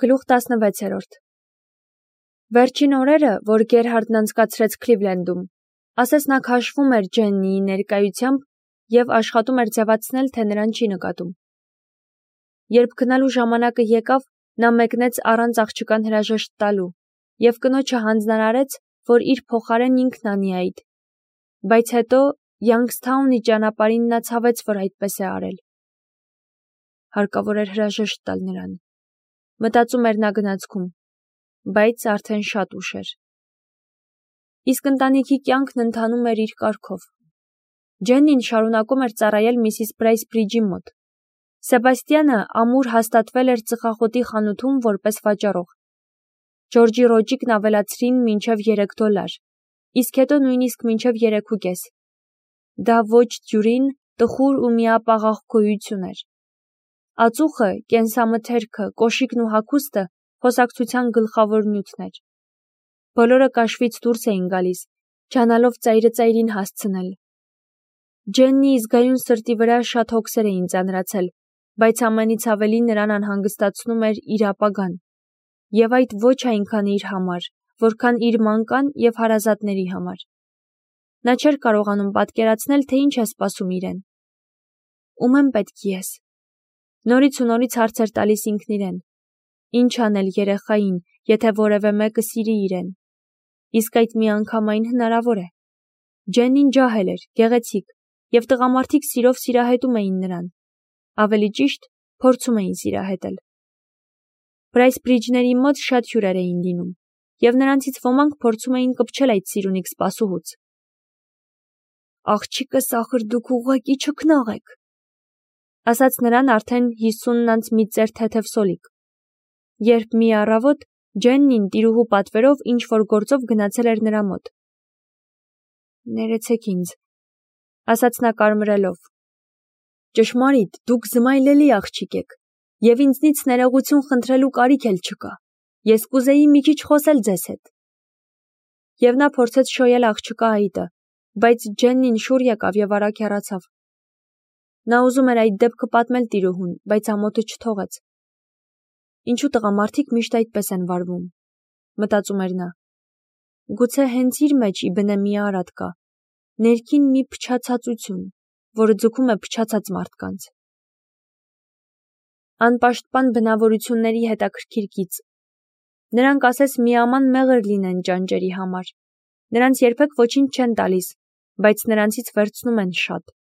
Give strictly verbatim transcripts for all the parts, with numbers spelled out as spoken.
Գլուխ տասնվեցերորդ Վերջին օրերը, որ Գերհարդն անցկացրեց Քլիվլենդում, ասես նա քաշվում էր Ջեննիի ներկայությամբ և աշխատում էր ձևացնել, թե նրան չի նկատում։ Երբ գնալու ժամանակը եկավ, նա մեկնեց առանց աղջկան հրաժեշտ տալու և կնոջը հանձնարարեց, որ իր փոխարեն ինքն անի այդ, բայց հետո Յանգսթաունի ճանապարհին նա ցավեց, որ այդպես է արել։ Հարկավոր էր հրաժեշտ տալ նրան, մտածում էր նա գնացքում, բայց արդեն շատ ուշ էր։ Իսկ ընտանիքի կյանքն ընթանում էր իր կարգով։ Ջեննին շարունակում էր ծառայել միսիս Բրայսբրիջի մոտ։ Սեբաստյանը ամուր հաստատվել էր ծխախոտի խանութում որպես վաճառող։ Ջորջի ռոճիկն ավելացրին մինչև երեք դոլար, իսկ հետո նույնիսկ մինչև երեք ու կես։ Դա ոչ դյուրին, տխուր ու միապաղաղ գոյություն էր։ Ածուխը, կենսամթերքը, կոշիկն ու հագուստը խոսակցության գլխավոր նյութն էր։ Բոլորը կաշվից դուրս էին գալիս, ջանալով ծայրը ծայրին հասցնել։ Ջեննիի զգայուն սրտի վրա շատ հոգսեր էին ծանրացել, բայց ամենից ավելի նրան անհանգստացնում էր իր ապագան, և այդ ոչ այնքան իր համար, որքան իր մանկան և հարազատների համար։ Նա չէր կարողանում պատկերացնել, թե ինչ է սպասում իրեն։ Ում եմ պետք ես։ Նորից ու նորից հարց էր տալիս ինքն իրեն. ինչ անել երեխային, եթե որևէ մեկը սիրի իրեն։ Իսկ այդ միանգամայն հնարավոր է։ Ջեննին ջահել էր, գեղեցիկ, և տղամարդիկ սիրով սիրահետում էին նրան։ Ավելի ճիշտ, փորձում էին սիրահետել։ Բրայսբրիջների մոտ շատ հյուրեր էին լինում, և նրանցից ոմանք փորձում էին կպչել այդ սիրունիկ սպասուհուց։ Աղջիկս ախր դուք ուղղակի չքնաղ եք, ասաց նրան արդեն հիսունն անց մի ծեր թեթև սոլիկ, երբ մի առավոտ Ջեննին տիրուհու պատվերով ինչ-որ գործով գնացել էր նրա մոտ։ Ներեցեք ինձ, ասաց նա կարմրելով։ Ճշմարիտ, դուք զմայլելի աղջիկ եք, և ինձնից ներողություն խնդրելու կարիք էլ չկա, ես կուզեի մի քիչ խոսել ձեզ հետ։ Եվ նա փորձեց շոյել աղջկա այտը, բայց Ջեննին շուռ եկավ և արագ հեռացավ։ Նա ուզում էր այդ դեպքը պատմել տիրուհուն, բայց ամոթը չթողեց։ Ինչու տղամարդիկ միշտ այդպես են վարվում, մտածում էր նա։ Գուցե հենց իր մեջ ի բնե մի արատ կա, ներքին մի փչացածություն, որը ձգում է փչացած մարդկանց։ Անպաշտպան բնավորությունների հետաքրքիր գիծ։ Նրանք ասես միաման մեղր լինեն ճանճերի համար։ Նրանց երբեք ոչինչ չեն տալիս, բայց նրանցից վերցնում են շատ։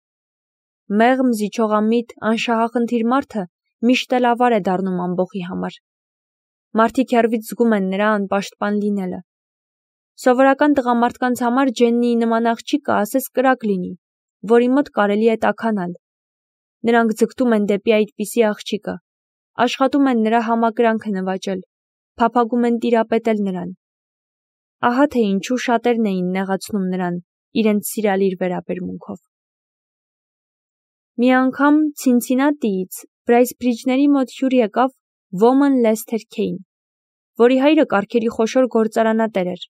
Մեղմ, զիջողամիտ, անշահախնդիր մարդը միշտ էլ ավար է դառնում ամբոխի համար։ Մարդիկ հեռվից զգում են նրա անպաշտպան լինելը։ Սովորական տղամարդկանց համար Ջեննիի նման աղջիկը ասես կրակ լինի, որի մոտ կարելի է տաքանալ։ Նրանք ձգտում են դեպի այդպիսի աղջիկը, աշխատում են նրա համակրանքը նվաճել, փափագում են տիրապետել նրան։ Ահա թե ինչու շատերն էին նեղացնում նրան իրենց սիրալիր վերաբերմունքով։ Մի անգամ Ցինցինատիից Բրայսբրիջների մոտ հյուր եկավ Ոման Լեսթեր Քեյն, որի հայրը կառքերի խոշոր գործարանատեր էր,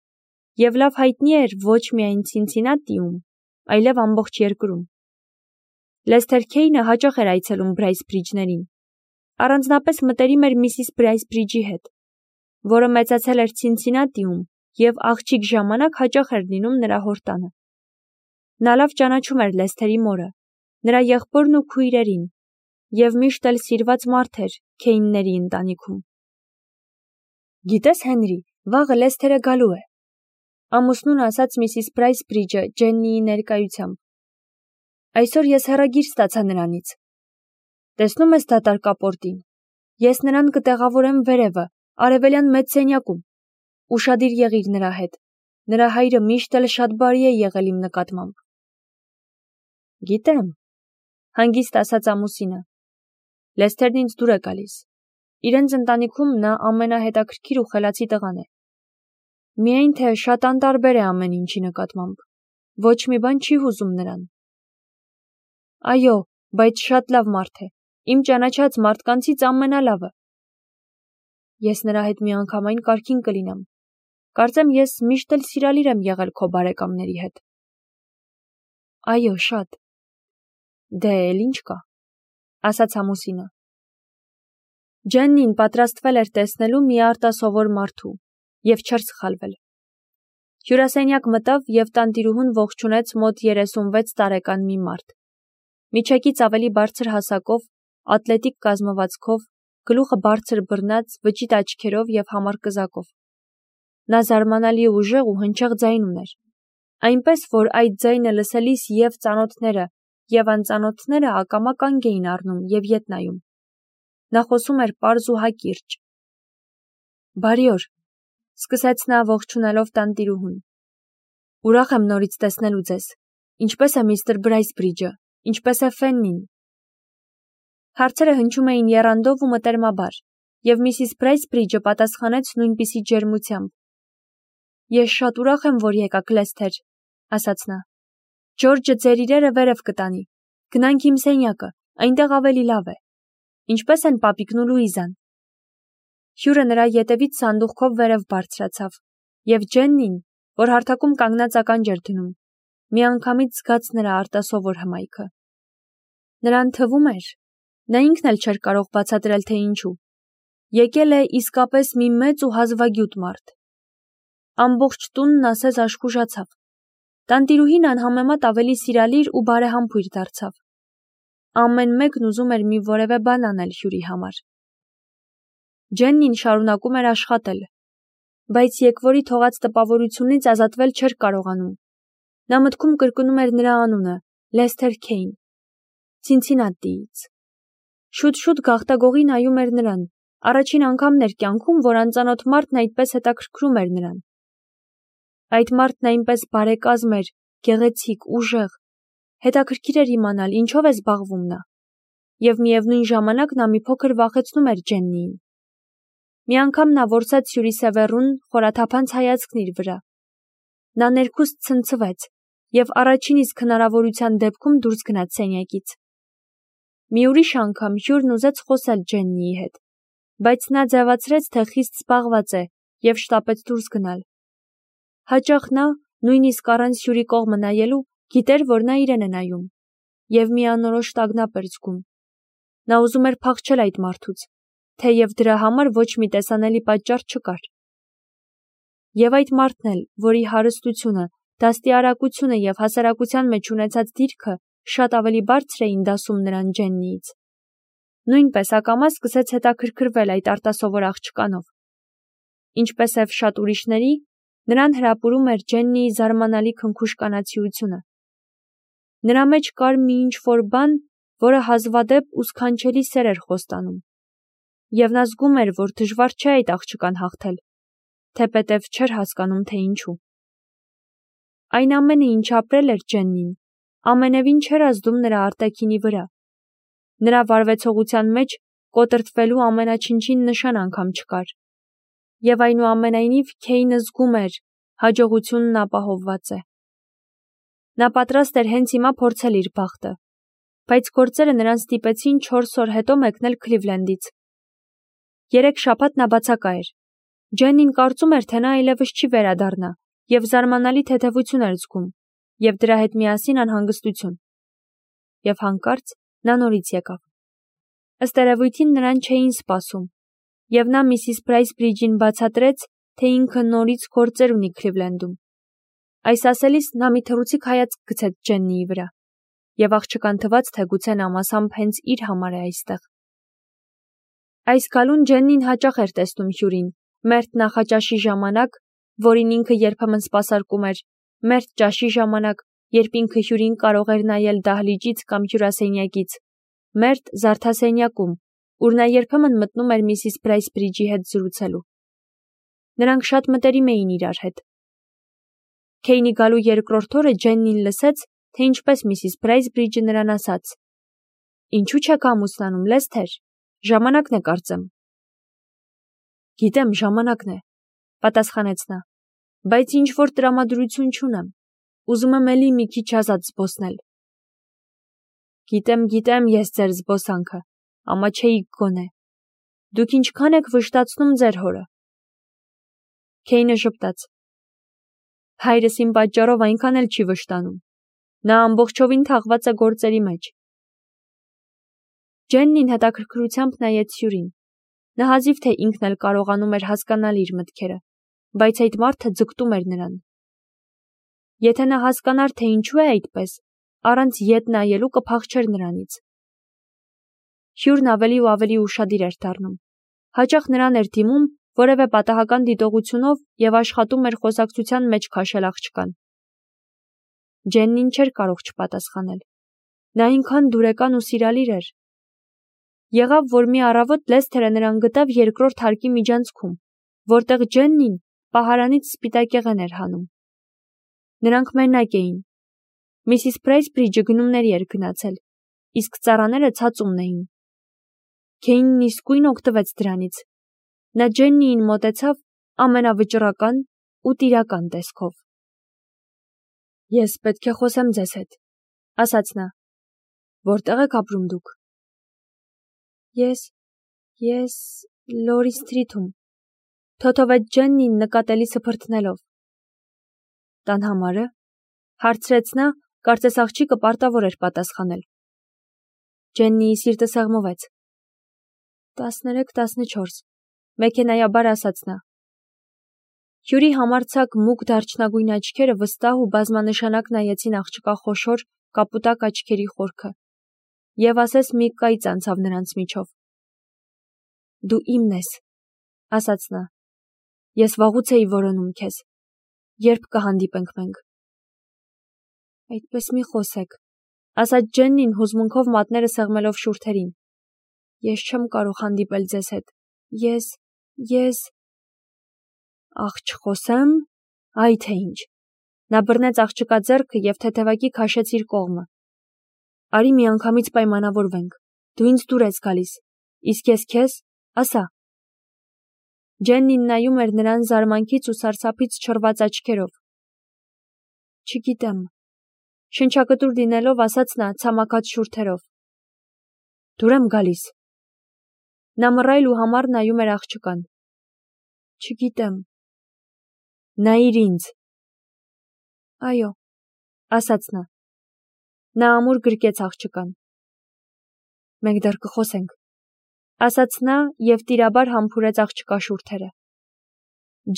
և լավ հայտնի էր ոչ միայն Ցինցինատիում, այլև ամբողջ երկրում։ Լեսթեր Քեյնը հաճախ էր այցելում Բրայսբրիջներին, առանձնապես մտերիմ էր միսիս Բրայսբրիջի հետ, որը մեծացել էր Ցինցինատիում և աղջիկ ժամանակ հաճախ էր լինում նրա հոր տանը։ Նա լավ ճանաչում էր Լեսթերի մորը, նրա եղբորն ու քույրերին, և միշտ էլ սիրված մարդ էր Քեյնների ընտանիքում։ Գիտես, Հենրի, վաղը Լեսթերը գալու է, ամուսնուն ասաց միսիս Բրայսբրիջը Ջեննիի ներկայությամբ։ Այսօր ես հեռագիր ստացա նրանից։ Տեսնում ես դատարկապորտին։ Ես նրան կտեղավորեմ վերևը, արևելյան մեծ սենյակում։ Ուշադիր եղիր նրա հետ։ Նրա հայրը միշտ էլ շատ բարի է եղել իմ նկատմամբ։ Գիտեմ, հանգիստ ասաց ամուսինը։ Լեսթերն ինձ դուր է գալիս։ Իրենց ընտանիքում նա ամենահետաքրքիր ու խելացի տղան է։ Միայն թե շատ անտարբեր է ամեն ինչի նկատմամբ։ Ոչ մի բան չի հուզում նրան։ Այո, բայց շատ լավ մարդ է։ Իմ ճանաչած մարդկանցից ամենալավը։ Ես նրա հետ միանգամայն կարգին կլինեմ։ Կարծեմ ես միշտ էլ սիրալիր եմ եղել քո բարեկամների հետ։ Այո, շատ։ Դե էլ ինչ կա, ասաց ամուսինը։ Ջեննին պատրաստվել էր տեսնելու մի արտասովոր մարդու և չէր սխալվել։ Հյուրասենյակ մտավ և տանտիրուհուն ողջունեց մոտ երեսունվեց տարեկան մի մարդ։ Միջեկից ավելի բարձր հասակով, ատլետիկ կազմվածքով, գլուխը բարձր բռնած, վճիտ աչքերով և համար կզակով։ Նա զարմանալի ուժեղ ու հնչեղ ձայն ուներ, այնպես որ այդ ձայնը լսելիս և ծանոթները, և անծանոթները ակամա կանգ էին առնում և ետ նայում։ Նա խոսում էր պարզ ու հակիրճ։ «Բարի օր», սկսեց նա ողջունելով տանտիրուհուն։ «Ուրախ եմ նորից տեսնելու ձեզ։ Ինչպե՞ս է միստր Բրայսբրիջը, ինչպե՞ս է Ֆեննին»։ Հարցերը հնչում էին եռանդով ու մտերմաբար, և միսիս Բրայսբրիջը պատասխանեց նույնպիսի ջերմությամբ։ «Ես շատ ուրախ եմ, որ եկաք, Լեսթեր», ասաց նա։ «Ջորջը ձեր իրերը վերև կտանի։ Գնանք իմ սենյակը, այնտեղ ավելի լավ է։ Ինչպե՞ս են պապիկն ու Լուիզան»։ Հյուրը նրա ետևից սանդուղքով վերև բարձրացավ, և Ջեննին, որ հարթակում կանգնած ականջ էր դնում, միանգամից զգաց նրա արտասովոր հմայքը։ Նրան թվում էր, նա ինքն էլ չէր կարող բացատրել, թե ինչու, եկել է իսկապես մի մեծ ու հազվագյուտ մարդ։ Ամբողջ տունն ասես աշխուժացավ։ Տանտիրուհին անհամեմատ ավելի սիրալիր ու բարեհամբույր դարձավ։ Ամեն մեկն ուզում էր մի որևէ բան անել հյուրի համար։ Ջեննին շարունակում էր աշխատել, բայց եկվորի թողած տպավորությունից ազատվել չէր կարողանում։ Նա մտքում կրկնում էր նրա անունը՝ Լեսթեր Քեյն, Ցինցինատիից։ Շուտ-շուտ գաղտագողի նայում էր նրան, առաջին անգամն էր կյանքում, որ անծանոթ մարդն այդպես հետաքրքրում էր նրան։ Այդ մարդն այնպես բարեկազմ էր, գեղեցիկ, ուժեղ։ Հետաքրքիր էր իմանալ, ինչով է զբաղվում նա։ Եվ միևնույն ժամանակ նա մի փոքր վախեցնում էր Ջեննիին։ Մի անգամ նա որսեց հյուրիսևեռուն խորաթափանց հայացքն իր վրա։ Նա ներքուստ ցնցվեց և առաջին իսկ հնարավորության դեպքում դուրս գնաց սենյակից։ Մի ուրիշ անգամ հյուրն ուզեց խոսել Ջեննիի հետ, բայց նա ձևացրեց, թե խիստ զբաղված է և շտապեց դուրս գնալ։ Հաճախ նա, նույնիսկ առանց հյուրի կողմը նայելու, գիտեր, որ նա իրեն է նայում, և մի անորոշ տագնապ էր զգում։ Նա ուզում էր փախչել այդ մարդուց, թեև դրա համար ոչ մի տեսանելի պատճառ չկար։ Եվ այդ մարդն էլ, որի հարստությունը, դաստիարակությունը և հասարակության մեջ ունեցած դիրքը շատ ավելի բարձր էին դասում նրան Ջեննիից, նույնպես ակամա սկսեց հետաքրքրվել այդ արտասովոր աղջկանով։ Ինչպես և շատ ուրիշների, նրան հրապուրում էր Ջեննիի զարմանալի քնքուշ կանացիությունը։ Նրա մեջ կար մի ինչ-որ բան, որը հազվադեպ ու սքանչելի սեր էր խոստանում։ Եվ նա զգում էր, որ դժվար չէ այդ աղջկան հաղթել, թեպետև չէր հասկանում, թե ինչու։ Այն ամենը, ինչ ապրել էր Ջեննին, ամենևին չէր ազդում նրա արտաքինի վրա։ Նրա վարվեցողության մեջ կոտրտվելու ամենաչնչին նշան անգամ չկար։ Եվ այնուամենայնիվ Քեյնը զգում էր, հաջողությունն ապահովված է։ Նա պատրաստ էր հենց հիմա փորձել իր բախտը, բայց գործերը նրան ստիպեցին չորս օր հետո մեկնել Քլիվլենդից։ Երեք շաբաթ նա բացակա էր։ Ջեննին կարծում էր, թե նա այլևս չի վերադառնա, և զարմանալի թեթևություն էր զգում, և դրա հետ միասին անհանգստություն։ Եվ հանկարծ նա նորից եկավ։ Ըստ երևույթին նրան չէին սպասում, և նա միսիս Բրայսբրիջին բացատրեց, թե ինքը նորից գործեր ունի Քլիվլենդում։ Այս ասելիս նա մի թռուցիկ հայացք գցեց Ջեննիի վրա, և աղջկան թվաց, թե գուցե նա մասամբ հենց իր համար է այստեղ։ Այս գալուն Ջեննին հաճախ էր տեսնում հյուրին, մերթ նախաճաշի ժամանակ, որին ինքը երբեմն սպասարկում էր, մերթ ճաշի ժամանակ, երբ ինքը հյուրին կարող էր նայել դահլիճից կամ հյուրասենյակից, մերթ զարդասենյակում, ուր նա երբեմն մտնում էր միսիս Բրայսբրիջի հետ զրուցելու։ Նրանք շատ մտերիմ էին իրար հետ։ Քեյնի գալու երկրորդ օրը Ջեննին լսեց, թե ինչպես միսիս Բրայսբրիջը նրան ասաց. «Ինչու չեք ամուսնանում, Լեսթեր, ժամանակն է կարծեմ»։ «Գիտեմ, ժամանակն է», պատասխանեց նա, «բայց ինչ-որ տրամադրություն չունեմ, ուզում եմ էլի մի քիչ ազատ զբոսնել»։ «Գիտեմ, գիտեմ ես ձեր զբոսանքը, ամաչեիք գոնե։ Դուք ինչքան եք վշտացնում ձեր հորը»։ Քեյնը ժպտաց. «Հայրս իմ պատճառով այնքան էլ չի վշտանում, նա ամբողջովին թաղված է գործերի մեջ»։ Ջեննին հետաքրքրությամբ նայեց հյուրին, Նա հազիվ թե ինքն էլ կարողանում էր հասկանալ իր մտքերը, բայց այդ մարդը ձգտում էր նրան։ Եթե նա հասկանար, թե ինչու է այդպես, առանց ետ նայելու կփախչեր նրանից։ Հյուրն ավելի ու ավելի ուշադիր էր դառնում։ Հաճախ նրան էր դիմում որևէ պատահական դիտողությունով և աշխատում էր խոսակցության մեջ քաշել աղջկան։ Ջեննին չէր կարող չպատասխանել։ Նա այնքան դուրեկան ու սիրալիր էր։ Եղավ, որ մի առավոտ Լեսթերը նրան գտավ երկրորդ հարկի միջանցքում, որտեղ Ջեննին պահարանից սպիտակեղեն էր հանում։ Նրանք մենակ էին։ Միսիս Փրայսբրիջը գնումների էր գնացել, իսկ ծառաները ցածումն էին։ Քեյնն իսկույն օգտվեց դրանից։ Նա Ջեննիին մոտեցավ ամենավճռական ու տիրական տեսքով։ Ես պետք է խոսեմ ձեզ հետ, ասաց նա։ Որտեղ եք ապրում դուք։ Ես, ես Լորի Սթրիթում, թոթովեց Ջեննին նկատելի սփռթնելով։ Տան համարը, հարցրեց նա, կարծես աղջիկը պարտավոր էր պատասխանել։ Ջեննիի սիրտը սեղմվեց։ տասներեք տասնչորս, մեքենայաբար ասաց նա։ Հյուրի համարձակ մուգ դարչնագույն աչքերը վստահ ու բազմանշանակ նայեցին աղջկա խոշոր կապուտակ աչքերի խորքը, և ասես մի կայծ անցավ նրանց միջով։ Դու իմն ես, ասաց նա։ Ես վաղուց էի որոնում քեզ։ Երբ կհանդիպենք մենք։ Այդպես մի խոսեք, ասաց Ջեննին հուզմունքով մատները սեղմելով շուրթերին։ Ես չեմ կարող հանդիպել ձեզ հետ։ Ես, ես… Աղ չխոսեմ, այ թե ինչ։ Նա բռնեց աղջկա ձեռքը և թեթևակի քաշեց իր կողմը։ Արի միանգամից պայմանավորվենք։ Դու ինձ դուր ես գալիս, իսկ ես քեզ, ասա։ Ջեննին նայում էր նրան զարմանքից ու սարսափից չռված աչքերով։ Չգիտեմ, շնչակտուր լինելով ասաց նա ցամաքած շուրթերով։ Դուր եմ գալիս։ Նա մռայլ ու համառ նայում էր աղջկան։ Չգիտեմ։ Նայիր ինձ։ Այո, ասաց նա։ Նա ամուր գրկեց աղջկան։ Մենք դեռ կխոսենք, ասաց նա և տիրաբար համբուրեց աղջկա շուրթերը։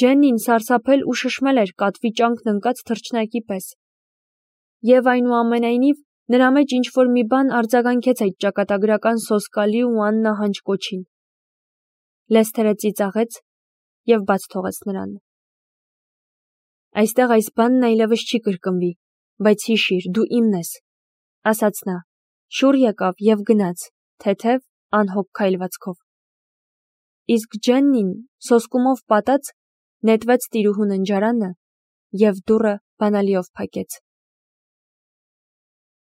Ջեննին սարսափել ու շշմել էր կատվի ճանկն ընկած թռչնակի պես։ Եվ այնուամենայնիվ նրա մեջ ինչ-որ մի բան արձագանքեց այդ ճակատագրական սոսկալի ու աննահանջ կոչին։ Լեսթերը ծիծաղեց և բաց թողեց նրան։ Այստեղ այս բանն այլևս չի կրկնվի, բայց հիշիր, դու իմն ես, ասաց նա, շուռ եկավ և գնաց, թեթև, անհոգ քայլվածքով։ Իսկ Ջեննին, սոսկումով պատած, նետվեց տիրուհու ննջարանը և դուռը բանալիով փակեց։